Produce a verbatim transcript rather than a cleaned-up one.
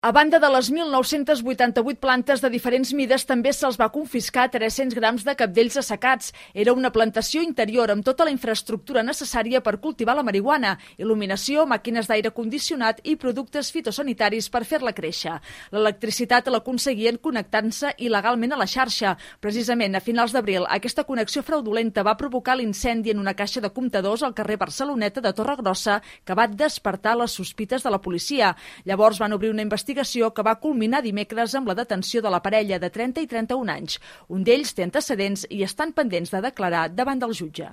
A banda de les mil nou-cents vuitanta-vuit plantes de diferents mides, també se'ls va confiscar tres-cents grams de cabdells assecats. Era una plantació interior amb tota la infraestructura necessària per cultivar la marihuana, il·luminació, màquines d'aire condicionat i productes fitosanitaris per fer-la créixer. L'electricitat l'aconseguien connectant-se il·legalment a la xarxa. Precisament a finals d'abril, aquesta connexió fraudulenta va provocar l'incendi en una caixa de comptadors al carrer Barceloneta de Torregrossa, que va despertar les sospites de la policia. Llavors van obrir una investigació que va culminar dimecres amb la detenció de la parella de trenta i trenta-un anys. Un d'ells té antecedents i estan pendents de declarar davant del jutge.